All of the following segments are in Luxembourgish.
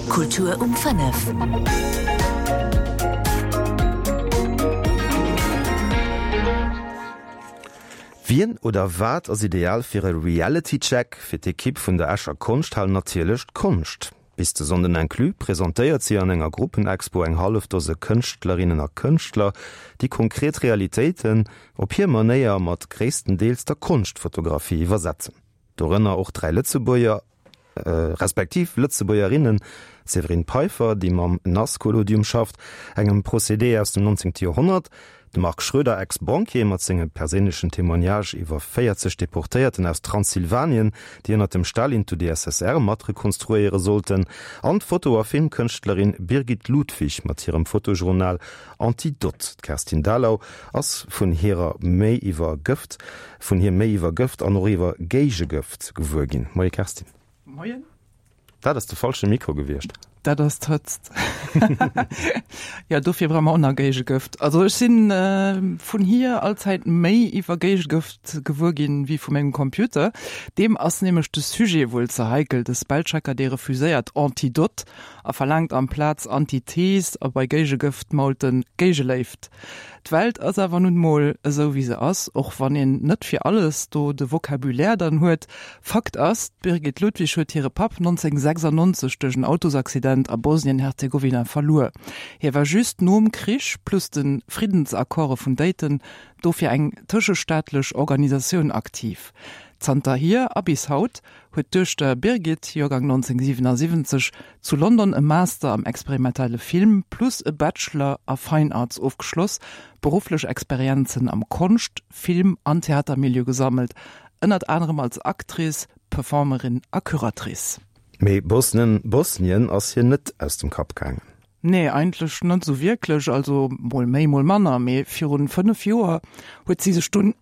Kultur um 5. Wien oder wat ass ideal fir e Reality Check? Fir d'Ekipp vun der Escher Konschthal natierlech d'Konscht. Bis de Sonnden inclus presentéiert si an enger Gruppenexpo eng hallef Dose Kënschtlerinnen a Kënschtler, déi konkret Realitéiten op hir Manéier mat gréisstendeels der Konschtfotografie iwwersetzen. Dorënner och 3 Lëtzebuerger, respektiv Lëtzebuergerinnen, d'Séverine Peiffer, déi mam Nasscollodium schafft, engem Procédé aus dem 19. Joerhonnert, De Marc Schroeder, Ex-Banquier, mat senge perséinlechen Témoignage iwwer 40 Deportéierten aus Transsilvanien, déi ënner dem Stalin d'UdSSR mat rekonstruéiere sollten, an d'Foto a Filmkënschtlerin Birgit Ludwig mat hirem Fotojournal Antidote. D'Kerstin Thalau ass vun hirer méi iwwer Gëft vun hir méi iwwer Gëft an och iwwer Géigegëft gewuer ginn. Moie Kerstin. Moien. Dat ass de falsche Mikro gewiescht. Dat ass d'Hëtzt. Jo, dofir brauche mer och nach Géigegëft. Also ech si vun hir allzäit méi iwwer Géigegëft gewuer ginn, wéi vu mengem Computer. Deem ass nämlech de Sujet wuel ze heikel. De Spellchecker, dee refuséiert Antidote a verlaangt amplaz Antithese a bei Géigegëft mault en Géigeléift. D'Welt ass awer nun mol esou wéi se ass, och wann een net fir alles do de Vocabulaire dann huet. Fakt ass, d'Birgit Ludwig huet hire Papp 1996 duerch en Autosaccident a Bosnien-Herzegowina verluer. Hie war just nom Krich plus de Friddensaccorde vun Dayton do fir eng tëschestaatlech Organisatioun aktiv. Zanterhier a bis haut huet d'Duechter Birgit, Joergang 1977, zu London e Master am experimentelle Film plus e Bachelor a Fine Arts ofgeschloss, berufflech Experienzen am Konscht-, Film an Theatermilieu gesammelt, ënnert anerem als Actrice, Performerin a Curatrice. Mee Bosnien, Bosnien ass hir net aus dem Kapp gaangen. Nee, eigentlech net esou wierklech, also mol méi, mol manner. Mee virun 5 Joer huet si sech dunn,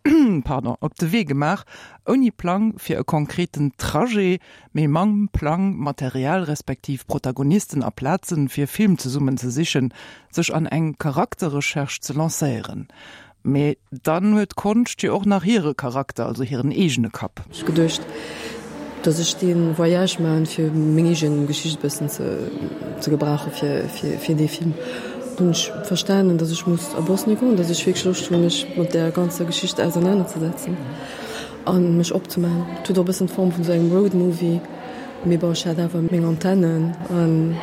pardon, op de Wee gemaach, ouni Plang fir e konkreten Trajet, mee mam Plang, Material respektiv Protagonisten a Plazen fir e Film zesummen ze sichen, sech an eng Charakterrecherche ze lancéieren. Mee dann huet d'Konscht jo och nach hire Charakter, also hiren eegene Kapp. Ech hu geduecht, dass ech dee Voyage maachen, fir meng eegen Geschicht e bëssen ze gebrauchen fir dee Film. Hunn ech verstanen, dass ech muss a Bosnien goen, dass ech wierklech Loscht hunn, mech mat där ganzer Geschicht ausernanerzesetzen a mech opzemaachen. Et huet och e bëssen d'Form vun esou engem Roadmovie, mee bon, ech hat awer meng Antennen an.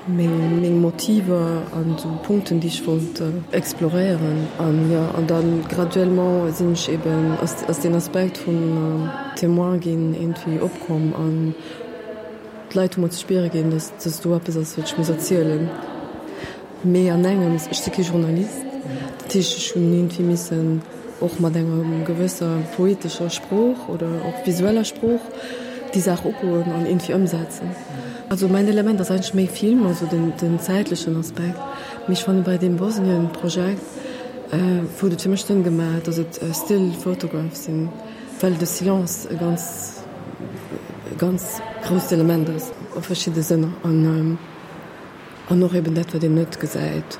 Meng Motiver an esou Punkten, déi ech wollt exploréieren. An jo, an da graduellement sinn ech eben, ass deen Aspekt vum Témoin ginn iergendwéi opkomm an d'Leit hu mer ze spiere ginn, dass dass do eppes ass, wat ech muss erzielen. Mee an engems, ech si kee Journalist, dat heescht, ech hunn iergendwéi missen och mat enger gewësser poetescher Sprooch oder och visueller Sprooch déi Saach ugoen an iergendwéi ëmsetzen. Also mäin Element ass eigentlech méi Film, also den den zäitlechen Aspekt. Mee ech fanne bei deem Bosnien-Projekt huet et fir mech Sënn gemaach, datt et still photographs sinn, well de Silence e ganz e ganz grousst Element ass a verschidde Sënner an an och eben dat wat een net gesäit.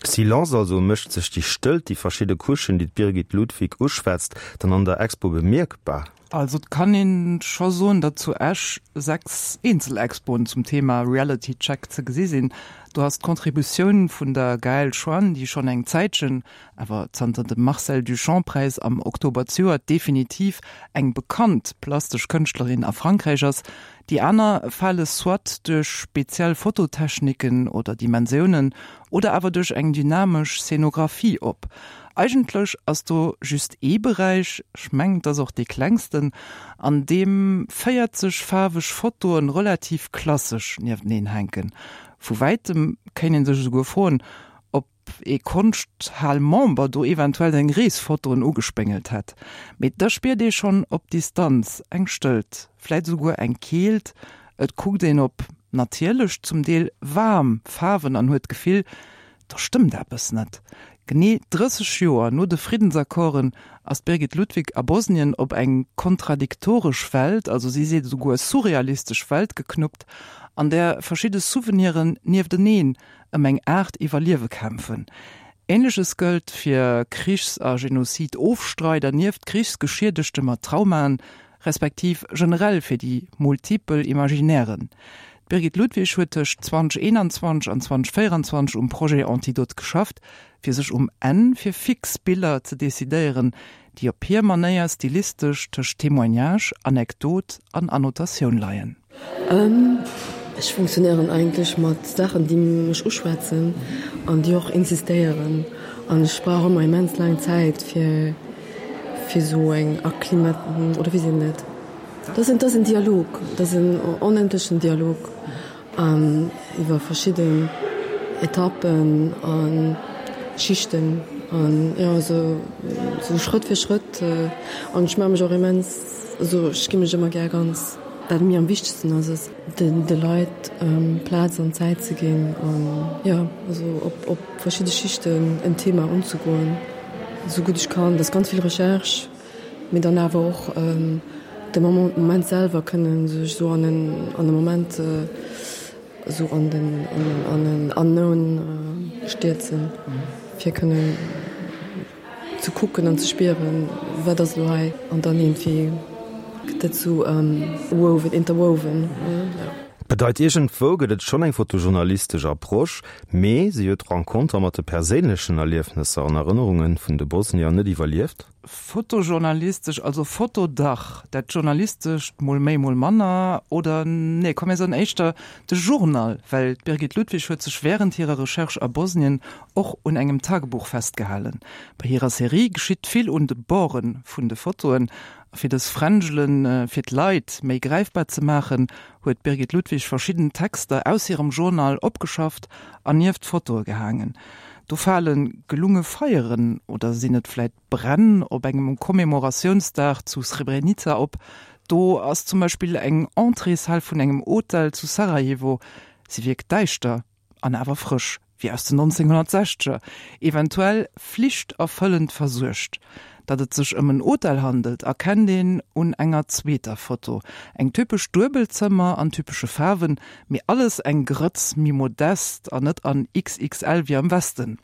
Silence also, mécht sech déi Stëllt, déi verschidde Couchen, déi d'Birgit Ludwig uschwätzt, dann an der Expo bemierkbar? Also et kann een scho soen, datt zu Esch 6 Eenzelexpoen zum Thema Reality Check ze gesi sinn. Do ass d'Contributioun vun der Gaëlle Choine, déi schonn eng Zäitchen, awer zanter dem Marcel Duchamp-Präis am Oktober zejoert definitiv eng bekannt plastesch Kënschtlerin a Frankräich ass, Déi aner fale soit duerch speziell Fototechniken oder Dimensiounen oder awer duerch eng dynamesch Szenographie op. Eigentlech ass do just ee Beräich, ech mengen et ass och dee klengsten, an deem 40 faarweg Fotoen relativ klassesch niefteneen hänken. Vu wäitem kéint een sech esouguer froen, ob ee Konschthal-Member do eventuell seng Reesfotoen ugespéngelt hätt. Mee da spiert ee schonn op Distanz eng Stëllt, vläit esouguer eng Keelt. Et kuckt een op natierlech, zum Deel waarm Faarwen an huet d'Gefill, do stëmmt eppes net. Genee 30 Joer no de Friddensaccorden ass d'Birgit Ludwig a Bosnien op eng kontradiktoresch Welt, also si seet esouguer surrealistesch Welt geknuppt, an där verschidde Souveniren niefteneen ëm eng Aart Iwwerliewe kämpfen. Ähnleches gëllt fir Krichs a Genozid-Ofstreider nieft Krichsgeschiedegte mat Traumaen, respektiv generell fir déi multipel Imaginairen. D'Birgit Ludwig huet tëscht 2021 an 2024 um Projet Antidote geschafft, fir sech um Enn fir fix Biller ze decidéieren, déi op hir Manéier stilistesch tëscht Témoignage, Anekdot an Annotatioun leien. Ech funktionéieren eigentlech mat Saachen, déi mech uschwätzen an déi och insistéieren. An ech brauch ëmmer immens laang Zäit, fir fir esou eng Acclimat oder wéi seet een dat? Dat ass en Dialog, dat ass en onendlechen Dialog iwwer verschidden Etappen a Schichten an jo esou esou Schrëtt fir Schrëtt. An ech maache mech och immens, also ech gi mech ëmmer gär ganz. Wat mir am wichtegsten ass, ass de Leit Plaz an Zäit ze ginn an jo also op op verschidde Schichten en Thema unzegoen, esou gutt ech kann. Dat ass ganz vill Recherche. Mee dann awer och de Moment selwer kënnen sech esou an en an e Moment esou an den an en Unknown stierzen, fir kënnen ze kucken an ze spieren, wat ass elo hei an dann iergendwéi gëtt dat esou woven, interwoven. Bedeit, iergendwou gëtt et schonn eng fotojournalistesch Approche, mee si huet d'Renconter mat de perséinlechen Erliefnesser an Erënnerunge vun de Bosnier net iwwerlieft. Fotojournalistesch, also Foto dach, dat Journalistescht mol méi, mol manner, oder nee, komm mir soen éischter de Journal, well d'Birgit Ludwig huet sech wärend hirer Recherche a Bosnien och un engem Tagebuch festgehalen. Bei hirer Serie geschitt vill un de Borde vun de Fotoen, a fir dës Fränjelen fir d'Leit méi gräifbar ze maachen, huet d'Birgit Ludwig verschidden Texter aus hirem Journal opgeschafft an nieft d'Fotoe gehaangen. Do fale gelunge Feieren, oder sinn et vläit Bränn, op engem Commemoratiounsdag zu Srebrenica op. Do ass zum Beispill eng Entréeshal vun engem Hotel zu Sarajevo. Si wierkt däischter an awer frësch, wéi aus den 1960er, eventuell flichterfëllend versuergt. Datt et sech ëm en Hotel handelt, erkennt een un enger zweeter Foto. Eng typesch Duebelzëmmer an typesche Faarwen, mee alles eng Grëtz méi modest an net an XXL wéi am Westen.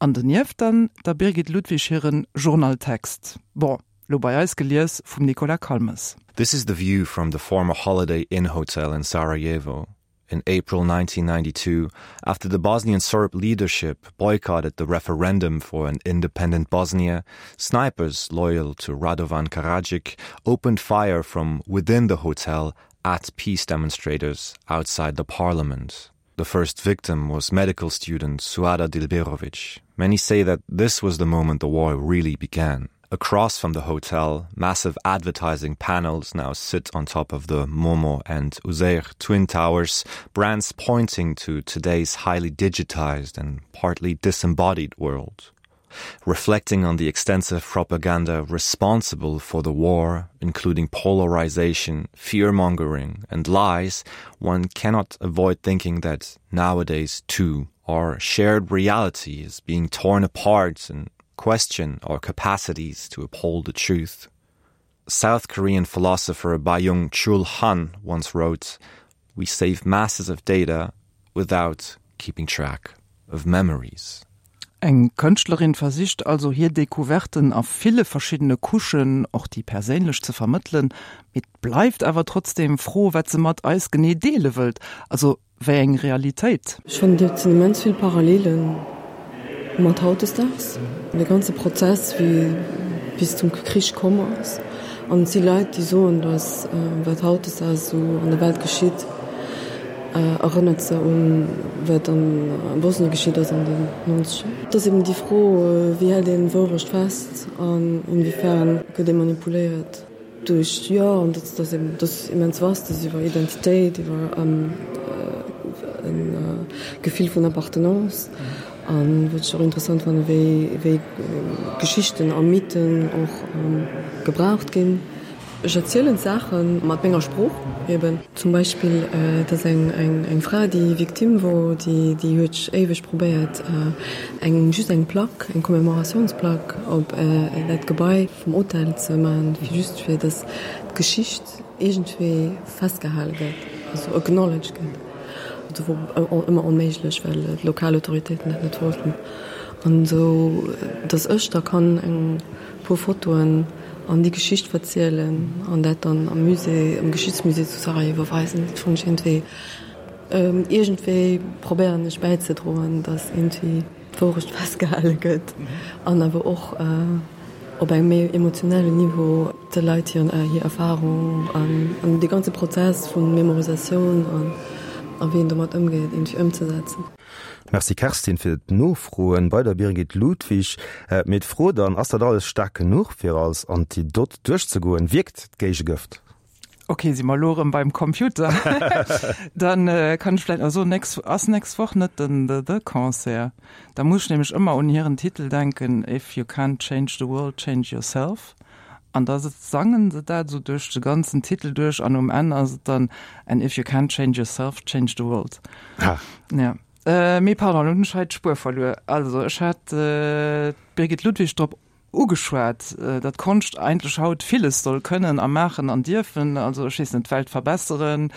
An donieft dann der Birgit Ludwig hiren Journaltext. Bon, lo bei eis gelies vum Nicolas Calmes. This is the view from the former Holiday Inn Hotel in Sarajevo in April 1992 after the Bosnian Serb leadership boycotted the referendum for an independent Bosnia, snipers loyal to Radovan Karadzic opened fire from within the hotel at peace demonstrators outside the parliament. The first victim was medical student Suada Dilberovic. Many say that this was the moment the war really began. Across from the hotel, massive advertising panels now sit on top of the Momo and Uzair twin towers, brands pointing to today's highly digitized and partly disembodied world. Reflecting on the extensive propaganda responsible for the war, including polarization, fearmongering and lies, one cannot avoid thinking that nowadays too our shared reality is being torn apart and question our capacities to uphold the truth. South Korean philosopher Bayung Chul Han once wrote, "We save masses of data without keeping track of memories." Eng Kënschtlerin versicht also hir Decouverten a ville verschiddene Couchen, och déi perséinlech, ze vermëttelen. Mee et bleift awer trotzdeem d'Fro, wat se mat eis genee deele wëllt. Also wéi eng Realitéit? Ech fannen, et sinn immens vill Parallele mat hautdesdaags. De ganze Prozess, wéi bis zum Krich komm ass. An et si Leit, déi soen, datt wat hautdesdaags esou an der Welt geschitt, erënnert se un wat a Bosnien geschitt ass an den Nonzeger. Et ass eben déi Fro, wéi hält een Wourecht fest an inwiefern gëtt ee manipuléiert duerch, jo, an dat ass eben, dat ass immens vaste, dat ass iwwer Identitéit, iwwer e Gefill vun Appartenance. An wat ech och interessant fannen, wéi wéi Geschichten a Mythen och gebraucht ginn. Ech erzielen d'Saache mat menger Sprooch eben. Zum Beispill, et ass eng Fra, déi Victime wor, déi huet éiweg probéiert, eng just eng Plack, eng Commemoratiounsplack op dat Gebai vum Hotel ze maachen, fir just fir datt d'Geschicht iergendwéi festgehale gëtt, also acknowledged gëtt. Dat wor ëmmer onméiglech, well d'lokal Autoritéiten dat net wollten. An esou datt ech da kann eng puer Fotoen an déi Geschicht verzielen an dat dann am Musée, am Geschichtsmusée zu Sarajevo weisen, dat fannen ech iergendwéi. Iergendwéi probéieren ech bäizedroen, datt iergendwéi d'Wourecht festgehale gëtt an awer och op engem méi emotionellen Niveau de Leit hir Erfarung an dee ganze Prozess vu Memorisatioun a wéi een domat ëmgeet, iergendwéi ëmzesetzen. Merci Kerstin fir d'Nofroen bei der Birgit Ludwig. Mee d'Fro dann, Ass dat alles staark genuch fir als Antidot duerchzegoen? Wierkt d'Géigegëft? Ok, si mer elo erëm beim Computer. Dann kann ech vläicht nach soen, nächst, ass nächst Woch net den The The Concert? Da muss ech nämlech ëmmer un hiren Titel denken, If you can't change the world, change yourself. An da sangen se dat esou duerch de ganzen Titel duerch an um Enn ass et dann And if you can't change yourself, change the world. Ha. Ja. Mee pardon, elo hunn ech hei d'Spuer verluer. Also ech hat d'Birgit Ludwig drop ugeschwat, datt Konscht eigentlech haut villes soll kënnen a maachen an dierfen, also ech weess net, d'Welt verbesseren,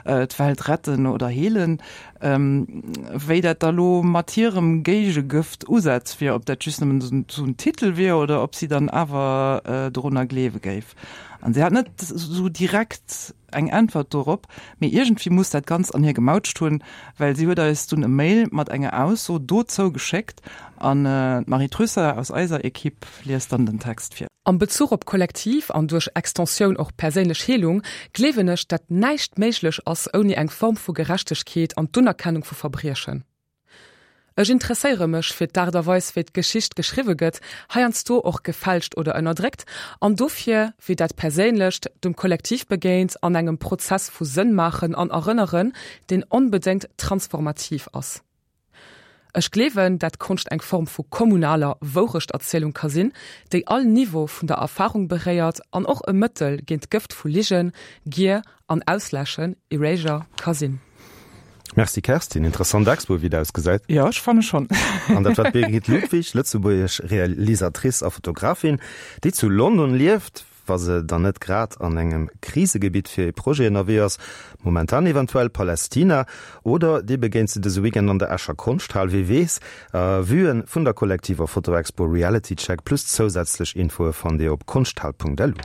d'Welt retten oder heelen. Wéi dat da lo mat hirem Géigegëft-Usaz wier, ob dat just nëmmen esou en Titel wier oder ob si dann awer dorunner gleewe géif. An si hat net esou direkt eng Äntwert dorop, mee iergendwéi muss dat Ganzt an hir gemautscht hunn, well si huet eis dunn e Mail mat enger Ausso dozou geschéckt an d'Marie Trüsser aus eiser Equipe liest dann den Text vir. Am Bezuch op kollektiv an duerch Extensioun och perséinlech Heelung gleewen ech, dat näischt méiglech ass ouni eng Form vu Gerechtegkeet an d'Unerkennung vu Verbriechen. Ech interesséiere mech fir d'Aart a Weis wéi d'Geschicht geschriwwe gëtt, heiansdo och gefälscht oder ënnerdréckt, an dofir wéi dat Perséinlecht dem Kollektiv begéint an engem Prozess vu Sënnmaachen an Erënneren, deen onbedéngt transformativ ass. Ech gleewen, dat Konscht eng Form vu kommunaler Woureschterzielung ka sinn, déi all Niveau vun der Erfarung beréiert an och e Mëttel géint d'Gëft vu Ligen, Gier an Ausläschen, Erasure, ka sinn. Merci Kerstin, interessant Expo wéi et ausgesäit. Jo, ech fanne schonn. An dat war d'Birgit Ludwig, lëtzebuergesch Realisatrice a Fotografin, déi zu London lieft, wa se dann net grad an engem Krisegebitt fir e Projet ënnerwee ass, momentan eventuell Palästina, oder dir begéint se dëse Weekend an der Escher Konschthal, wee weess. Vuen vun der kollektiver Fotoexpo Reality Check plus zousätzlech Infoe fannt dir op konschthal.lu.